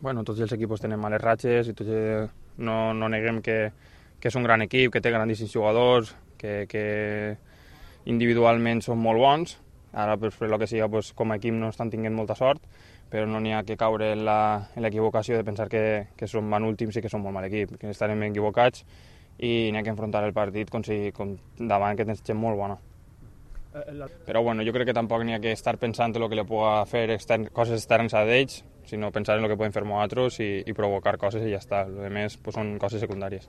Bueno, tots els equipos tenen males ratxes i tots no neguem que és un gran equip, que té grandíssims jugadors, que individualment són molt bons. Ara, per el que sigui, com a equip no estan tinguent molta sort, però no n'hi ha que caure en l'equivocació de pensar que som van últims i que som molt mal equip, que estarem ben equivocats i n'hi ha que enfrontar el partit com davant que tens gent molt bona. Però bueno, jo crec que tampoc n'hi ha que estar pensant en el que li pugui fer coses externes a d'ells, sinó pensar en el que podem fer nosaltres i provocar coses i ja està. El més són coses secundàries.